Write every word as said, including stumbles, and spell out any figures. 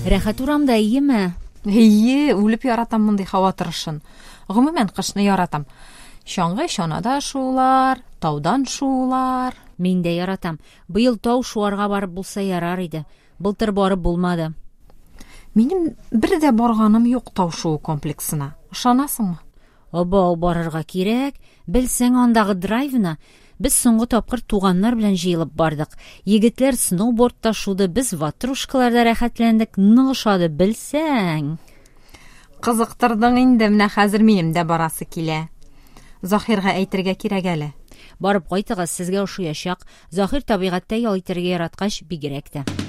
Рәхәт урамда, әйеме? Әйе, үлеп яратам мондый һава торышын. Гомумән, кышны яратам. Чаңгы, чанада шуулар, таудан шуулар. Мин дә яратам. Быел тау шуарга барып булса ярар иде. Былтыр барып булмады. Минем бер дә барганым юк тау шуу комплексына. Ышанасыңмы? Абау, барырга кирәк. Белсәң андагы драйвны. Без соңгы тапкыр туганнар белән җыелып бардык. Егетләр сноубордта шуды, без ватрушкаларда рәхәтләндек. Нык ошады, белсәң. Кызыктырдың инде, менә хәзер минем дә барасы килә. Заһирга әйтергә кирәк әле. Барып кайтыгыз, сезгә ошаячак. Заһир табигатьтә ял итәргә яраткач, бигрәк тә.